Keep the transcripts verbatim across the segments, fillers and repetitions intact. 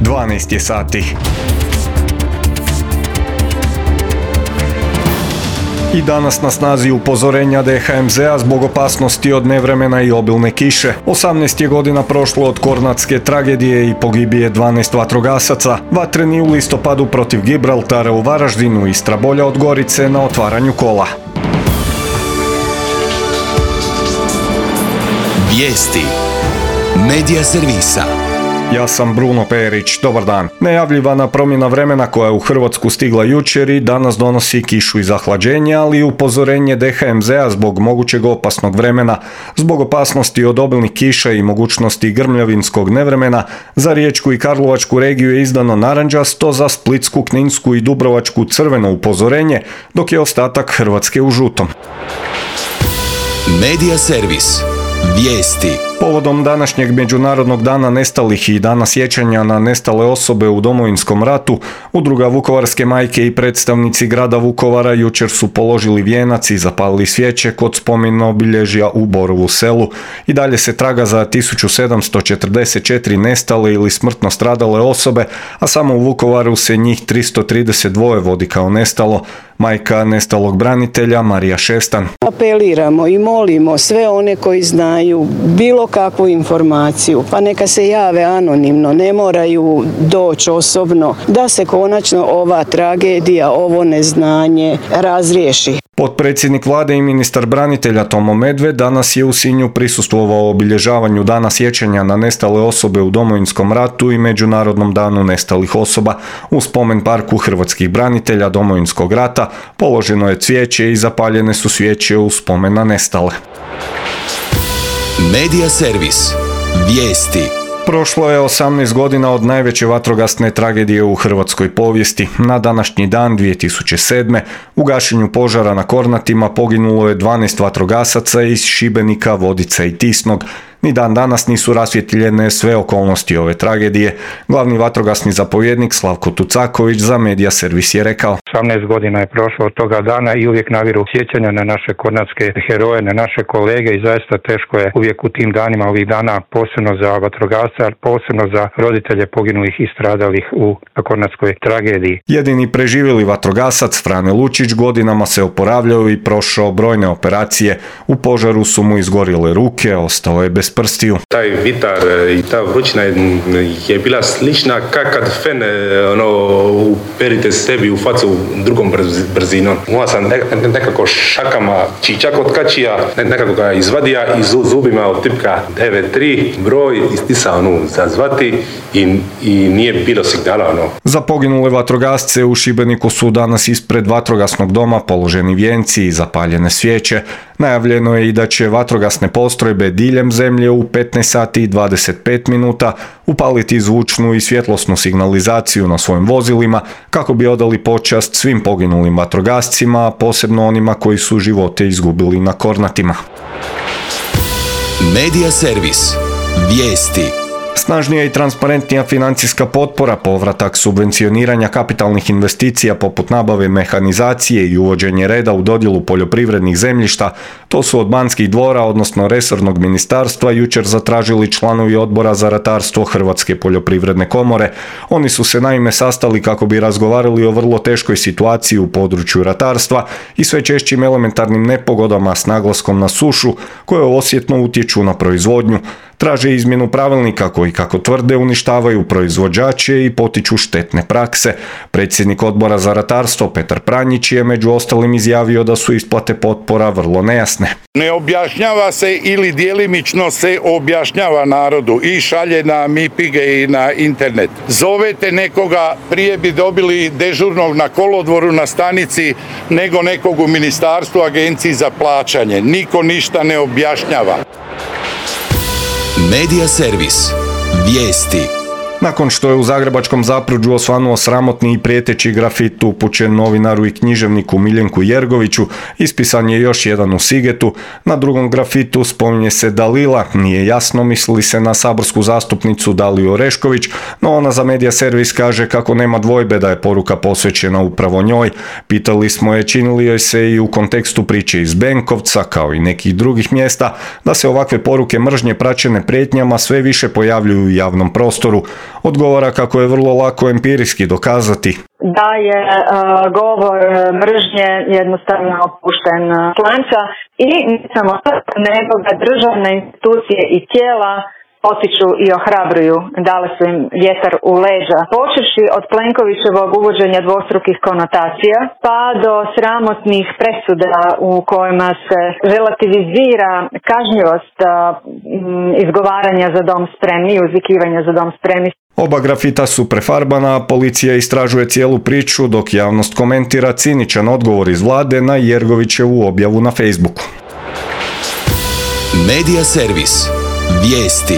dvanaest je sati. I danas na snazi upozorenja D H M Z-a zbog opasnosti od nevremena i obilne kiše. osamnaest je godina prošlo od kornatske tragedije i pogibije dvanaest vatrogasaca. Vatreni u listopadu protiv Gibraltara u Varaždinu, Istra bolja od Gorice na otvaranju kola. Vijesti Medija servisa. Ja sam Bruno Perić, dobar dan. Najavljivana promjena vremena koja je u Hrvatsku stigla jučer i danas donosi kišu i zahlađenje, ali i upozorenje D H M Z-a zbog mogućeg opasnog vremena. Zbog opasnosti od obilnih kiša i mogućnosti grmljavinskog nevremena, za Riječku i Karlovačku regiju je izdano narančasto, za Splitsku, Kninsku i Dubrovačku crveno upozorenje, dok je ostatak Hrvatske u žutom. Medija servis. Vijesti. Povodom današnjeg Međunarodnog dana nestalih i dana sjećanja na nestale osobe u Domovinskom ratu, Udruga Vukovarske majke i predstavnici grada Vukovara jučer su položili vijenac i zapalili svijeće kod spomen obilježja u Borovu Selu. I dalje se traga za tisuću sedamsto četrdeset četiri nestale ili smrtno stradale osobe, a samo u Vukovaru se njih tristo trideset dva vodi kao nestalo. Majka nestalog branitelja Marija Šestan. Apeliramo i molimo sve one koji znaju bilo kakvu informaciju, pa neka se jave anonimno, ne moraju doći osobno, da se konačno ova tragedija, ovo neznanje razriješi. Potpredsjednik vlade i ministar branitelja Tomo Medved danas je u Sinju prisustvovao obilježavanju dana sjećanja na nestale osobe u Domovinskom ratu i Međunarodnom danu nestalih osoba. U spomen parku hrvatskih branitelja Domovinskog rata položeno je cvijeće i zapaljene su svijeće u spomen na nestale. Medija servis. Vijesti. Prošlo je osamnaest godina od najveće vatrogasne tragedije u hrvatskoj povijesti. Na današnji dan dvije tisuće sedme. u gašenju požara na Kornatima poginulo je dvanaest vatrogasaca iz Šibenika, Vodica i Tisnog. Ni dan danas nisu rasvjetljene sve okolnosti ove tragedije. Glavni vatrogasni zapovjednik Slavko Tucaković za Medija servis je rekao: osamnaest godina je prošlo od toga dana i uvijek naviru sjećanja na naše kornatske heroje, na naše kolege i zaista teško je uvijek u tim danima ovih dana, posebno za vatrogasce, posebno za roditelje poginulih i stradalih u kornatskoj tragediji. Jedini preživjeli vatrogasac Frane Lučić godinama se oporavljao i prošao brojne operacije. U požaru su mu izgorjele ruke, ostao je bez prstiju. Taj vitar i ta vrućina je bila slična kao kad fen ono, uperite sebi u facu drugom brzinom. Moja sam nekako šakama čičak od kačija, nekako ga izvadija i zubima od tipka devet tri broj istisao ono zazvati i, i nije bilo signala. Ono. Za poginule vatrogasce u Šibeniku su danas ispred vatrogasnog doma položeni vijenci i zapaljene svijeće. Najavljeno je i da će vatrogasne postrojbe diljem zemlje u petnaest sati i dvadeset pet minuta upaliti zvučnu i svjetlosnu signalizaciju na svojim vozilima kako bi odali počast svim poginulim vatrogascima, a posebno onima koji su živote izgubili na Kornatima. Medija servis. Vijesti. Snažnija i transparentnija financijska potpora, povratak subvencioniranja kapitalnih investicija poput nabave mehanizacije i uvođenje reda u dodjelu poljoprivrednih zemljišta, to su od Banskih dvora, odnosno resornog ministarstva, jučer zatražili članovi Odbora za ratarstvo Hrvatske poljoprivredne komore. Oni su se naime sastali kako bi razgovarali o vrlo teškoj situaciji u području ratarstva i sve češćim elementarnim nepogodama s naglaskom na sušu koje osjetno utječu na proizvodnju. Traže izmjenu pravilnika koji, kako tvrde, uništavaju proizvođače i potiču štetne prakse. Predsjednik Odbora za ratarstvo Petar Pranjić je među ostalim izjavio da su isplate potpora vrlo nejasne. Ne objašnjava se ili djelimično se objašnjava narodu i šalje na mipige i na internet. Zovete nekoga, prije bi dobili dežurnog na kolodvoru na stanici nego nekog u ministarstvu, agenciji za plaćanje. Niko ništa ne objašnjava. Medija servis. Vijesti. Nakon što je u zagrebačkom Zapruđu osvanuo sramotni i prijeteći grafit upućen novinaru i književniku Miljenku Jergoviću, ispisan je još jedan u Sigetu. Na drugom grafitu spominje se Dalila, nije jasno misli se na saborsku zastupnicu Daliju Orešković, no ona za Medija servis kaže kako nema dvojbe da je poruka posvećena upravo njoj. Pitali smo je čini li joj se i u kontekstu priče iz Benkovca, kao i nekih drugih mjesta, da se ovakve poruke mržnje praćene prijetnjama sve više pojavljuju u javnom prostoru. Odgovara kako je vrlo lako empirijski dokazati da je uh, govor mržnje jednostavno opušten slanca i ne samo to, nego da državne institucije i tijela potiču i ohrabruju, dale su im vjetar u leđa. Počevši od Plenkovićevog uvođenja dvostrukih konotacija, pa do sramotnih presuda u kojima se relativizira kažnjivost uh, izgovaranja za dom spremni i uzvikivanja za dom spremni. Oba grafita su prefarbana, a policija istražuje cijelu priču, dok javnost komentira ciničan odgovor iz vlade na Jergovićevu objavu na Facebooku. Medija servis. Vijesti.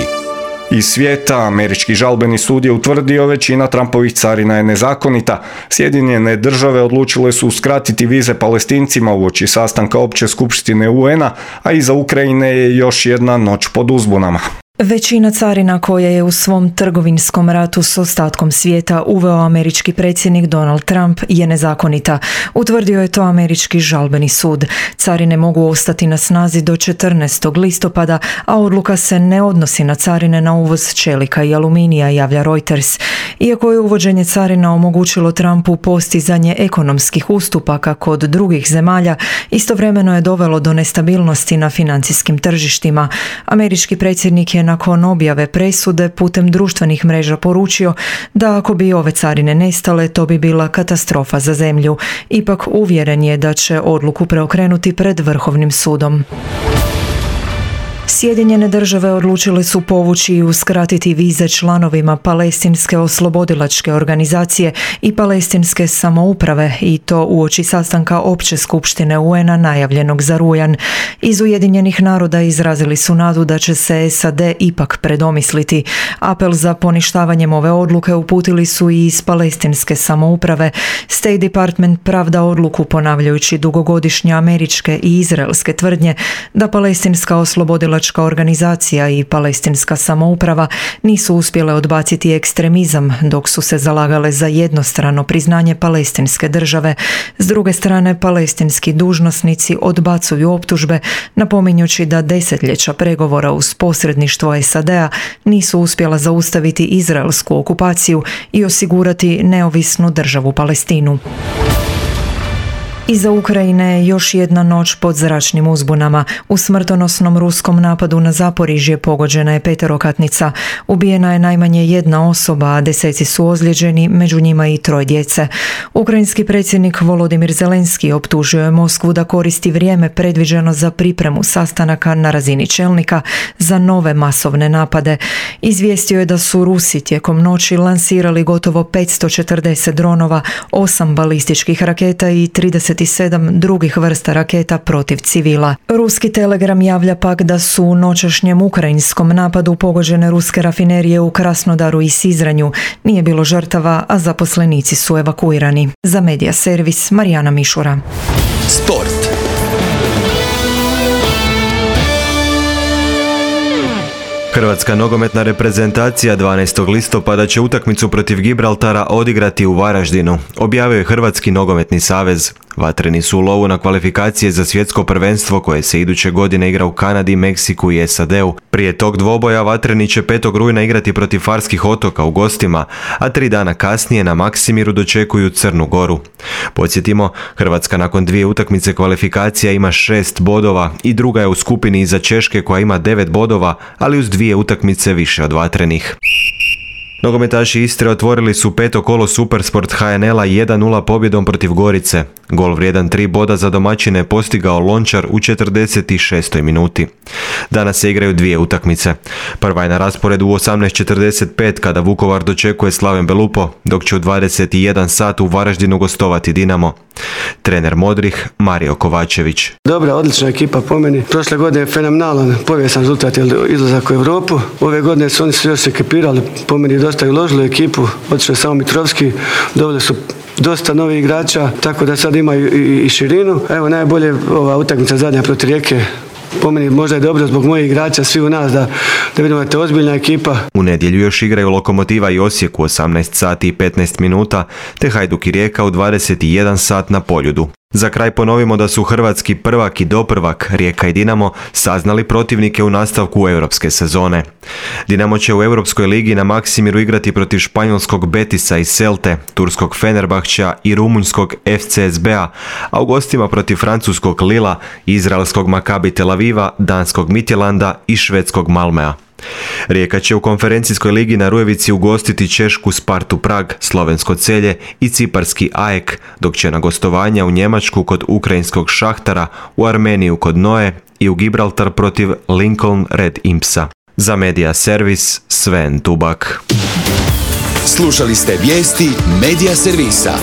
Iz svijeta, američki žalbeni sud je utvrdio većina Trumpovih carina je nezakonita. Sjedinjene države odlučile su uskratiti vize Palestincima uoči sastanka opće skupštine U N-a, a iza Ukrajine je još jedna noć pod uzbunama. Većina carina koje je u svom trgovinskom ratu s ostatkom svijeta uveo američki predsjednik Donald Trump je nezakonita. Utvrdio je to američki žalbeni sud. Carine mogu ostati na snazi do četrnaestog listopada, a odluka se ne odnosi na carine na uvoz čelika i aluminija, javlja Reuters. Iako je uvođenje carina omogućilo Trumpu postizanje ekonomskih ustupaka kod drugih zemalja, istovremeno je dovelo do nestabilnosti na financijskim tržištima. Američki predsjednik je nakon objave presude putem društvenih mreža poručio da ako bi ove carine nestale, to bi bila katastrofa za zemlju. Ipak uvjeren je da će odluku preokrenuti pred Vrhovnim sudom. Sjedinjene države odlučile su povući i uskratiti vize članovima Palestinske oslobodilačke organizacije i Palestinske samouprave i to uoči sastanka opće skupštine U N-a najavljenog za rujan. Iz Ujedinjenih naroda izrazili su nadu da će se S A D ipak predomisliti. Apel za poništavanjem ove odluke uputili su i iz Palestinske samouprave. State Department pravda odluku ponavljajući dugogodišnje američke i izraelske tvrdnje da Palestinska oslobodilačka organizacija i Palestinska samouprava nisu uspjele odbaciti ekstremizam dok su se zalagale za jednostrano priznanje palestinske države. S druge strane, palestinski dužnosnici odbacuju optužbe, napominjući da desetljeća pregovora uz posredništvo S A D-a nisu uspjela zaustaviti izraelsku okupaciju i osigurati neovisnu državu Palestinu. Iza Ukrajine još jedna noć pod zračnim uzbunama. U smrtonosnom ruskom napadu na Zaporižje pogođena je peterokatnica. Ubijena je najmanje jedna osoba, a deseci su ozlijeđeni, među njima i troje djece. Ukrajinski predsjednik Volodimir Zelenski optužio je Moskvu da koristi vrijeme predviđeno za pripremu sastanaka na razini čelnika za nove masovne napade. Izvijestio je da su Rusi tijekom noći lansirali gotovo petsto četrdeset dronova, osam balističkih raketa i trideset sedam drugih vrsta raketa protiv civila. Ruski Telegram javlja pak da su u noćašnjem ukrajinskom napadu pogođene ruske rafinerije u Krasnodaru i Sizranju. Nije bilo žrtava, a zaposlenici su evakuirani. Za Medija servis Marijana Mišura. Sport. Hrvatska nogometna reprezentacija dvanaestog listopada će utakmicu protiv Gibraltara odigrati u Varaždinu, objavio je Hrvatski nogometni savez. Vatreni su u lovu na kvalifikacije za svjetsko prvenstvo koje se iduće godine igra u Kanadi, Meksiku i S A D-u. Prije tog dvoboja Vatreni će petog rujna igrati protiv Farskih otoka u gostima, a tri dana kasnije na Maksimiru dočekuju Crnu Goru. Podsjetimo, Hrvatska nakon dvije utakmice kvalifikacija ima šest bodova i druga je u skupini iza Češke koja ima devet bodova, ali uz dvije utakmice više od Vatrenih. Nogometaši Istre otvorili su peto kolo Supersport H N L-a jedan nula pobjedom protiv Gorice. Gol vrijedan tri boda za domaćine je postigao Lončar u četrdeset šestoj minuti. Danas se igraju dvije utakmice. Prva je na rasporedu u osamnaest četrdeset pet kada Vukovar dočekuje Slaven Belupo, dok će u dvadeset jedan sat u Varaždinu gostovati Dinamo. Trener Modrih Mario Kovačević. Dobra, odlična ekipa po meni. Prošle godine je fenomenalan, povijesan rezultat izlazak u Europu. Ove godine su oni se još ekipirali, po meni dosta i uložili u ekipu. Otišao je samo Mitrovski, doveli su dosta novih igrača, tako da sad imaju i, i širinu. Evo najbolje ova utakmica zadnja protiv Rijeke. Po meni možda je dobro zbog mojih igrača, svi u nas, da, da vidimo da je to ozbiljna ekipa. U nedjelju još igraju Lokomotiva i Osijek u osamnaest sati i petnaest minuta, te Hajduk i Rijeka u dvadeset jedan sat na Poljudu. Za kraj ponovimo da su hrvatski prvak i doprvak Rijeka i Dinamo saznali protivnike u nastavku europske sezone. Dinamo će u Europskoj ligi na Maksimiru igrati protiv španjolskog Betisa i Celte, turskog Fenerbahča i rumunjskog F C S B-a, a u gostima protiv francuskog Lila, izraelskog Maccabi Tel Aviva, danskog Midtjylanda i švedskog Malmea. Rijeka će u konferencijskoj ligi na Rujevici ugostiti češku Spartu Prag, slovensko Celje i ciparski A E K, dok će na gostovanja u Njemačku kod ukrajinskog Šahtara, u Armeniju kod Noe i u Gibraltar protiv Lincoln Red Impsa. Za Media Servis, Sven Tubak. Slušali ste vijesti Media Servisa.